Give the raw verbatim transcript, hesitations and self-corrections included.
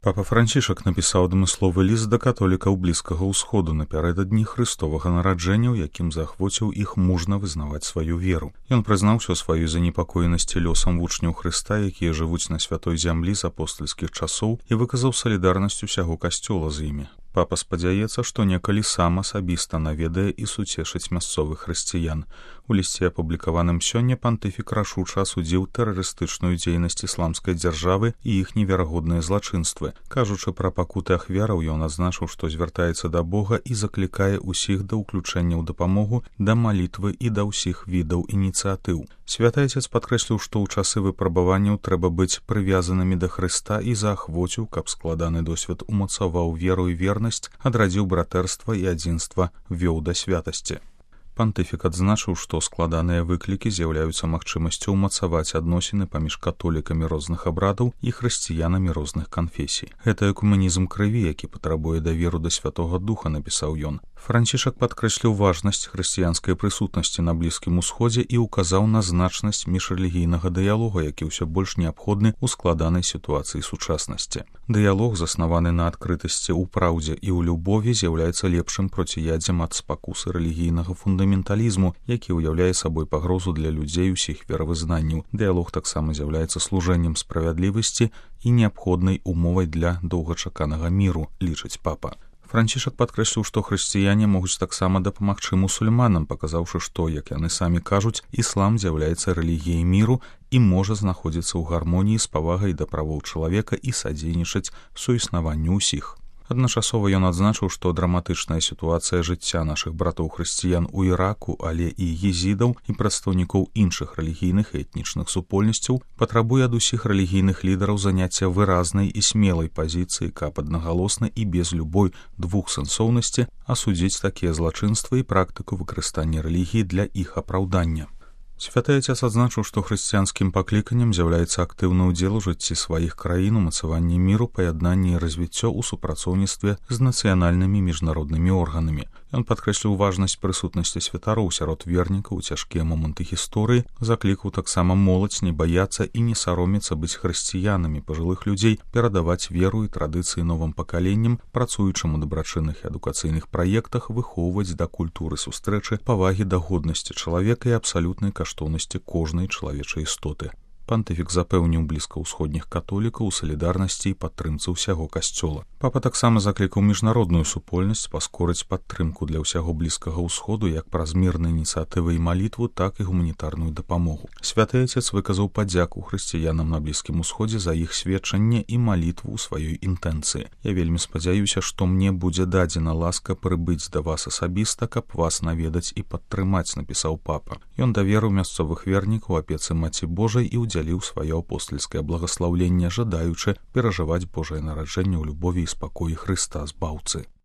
Папа Францішак напісаў адмысловы ліст да католікаў Блізкага ўсходу напярэдадні Хрыстовага нараджэння, у якім заахвоціў іх мужна вызнаваць сваю веру. Ён прызнаўся ў сваёй занепакоенасці лёсам вучняў Хрыста, якія жывуць на святой зямлі з апостальскіх часоў, і выказаў салідарнасць усяго касцёла з імі. Папа спадзяецца, што некалі сам асабіста наведае і суцешыць мясцовых хрысціян. У лісце, апублікаваным сёння, пантыфік рашуча асудзіў тэрарыстычную дзейнасць ісламскай дзяржавы і іх неверагодныя злачынствы. Кажучы пра пакуты ахвяраў, ён адзначыў, што звяртаецца да Бога і заклікае ўсіх да ўключэння ў дапамогу, да малітвы і да ўсіх відаў ініцыятыў. Святы Ацец падкрэсліў, што ў часы выпрабаванняў трэба быць прывязанымі да Хрыста і заахвоціў, каб складаны досвед умацаваў веру і вернасць, адрадзіў братэрства і адзінства, вёў да святасці. Пантыфік адзначыў, што складаныя выклікі з'яўляюцца магчымасцю ўмацаваць адносіны паміж католікамі розных абрадаў і хрысціянамі розных канфесій. Гэта экуменізм крыві, які патрабуе даверу да Святога Духа, напісаў ён. Францішак падкрэсліў важнасць хрысціянскай прысутнасці на Блізкім Усходзе і ўказаў на значнасць міжрэлігійнага дыялога, які ўсё больш неабходны ў складанай сітуацыі сучаснасці. Дыялог, заснаваны на адкрытасці ў праўдзе і ў любові, з'яўляецца лепшым проціядзем ад спакусы рэлігійнага фундаменталізму, які ўяўляе сабой пагрозу для людзей усіх веравызнанняў. Дыялог таксама з'яўляецца служэннем справядлівасці і неабходнай умовай для доўгачаканага міру, лічыць папа. Францішак падкрэсліў, што хрысціяне могуць таксама дапамагчы мусульманам, паказаўшы, што, як яны самі кажуць, іслам з'яўляецца рэлігіяй міру і можа знаходзіцца ў гармоніі з павагай да правоў чалавека і садзейнічаць суіснаванню ўсіх. Адначасова ён адзначыў, што драматычная сітуацыя жыцця нашых братоў-хрысціян у Іраку, але і езідаў і прадстаўнікоў іншых рэлігійных і этнічных супольнасцяў патрабуе ад усіх рэлігійных лідараў заняцця выразнай і смелай пазіцыі, каб аднагалосна і без любой двухсэнсоўнасці асудзіць такія злачынствы і практыку выкарыстання рэлігіі для іх апраўдання. Святы Ацец адзначыў, што хрысціянскім пакліканнем з'яўляецца актыўны ўдзел у жыцці сваіх краін, умацаванні міру, паяднанні і развіццё ў супрацоўніцтве з нацыянальнымі міжнароднымі органамі. Ён падкрэсліў важнасць прысутнасці святароў сярод вернікаў у цяжкія моманты гісторыі, заклікаў таксама моладзь не баяцца і не саромецца быць хрысціянамі, пажылых людзей, перадаваць веру і традыцыі новым пакаленням, працуючым у дабрачынных і адукацыйных праектах, выхоўваць да культуры сустрэчы, павагі да годнасці чалавека і абсалютнай каштоўнасці кожнай чалавечай істоты. Пантыфік запэўніў блізкаўсходніх католікаў у салідарнасці і падтрымцы ўсяго касцёла. Папа таксама заклікаў міжнародную супольнасць паскорыць падтрымку для ўсяго Блізкага ўсходу як праз мірныя ініцыятывы і малітву, так і гуманітарную дапамогу. Святы Ацец выказаў падзяку хрысціянам на Блізкім Усходзе за іх сведчанне і малітву ў сваёй інтэнцыі. Я вельмі спадзяюся, што мне будзе дадзена ласка прыбыць да вас асабіста, каб вас наведаць і падтрымаць, напісаў папа. Ён даверыў мясцовых вернікаў апецы Маці Божай і удзяліў сваё апостальскае благаслаўленне, жадаючы перажываць Божае нараджэнне ў любові і спакоі Хрыста Збаўцы.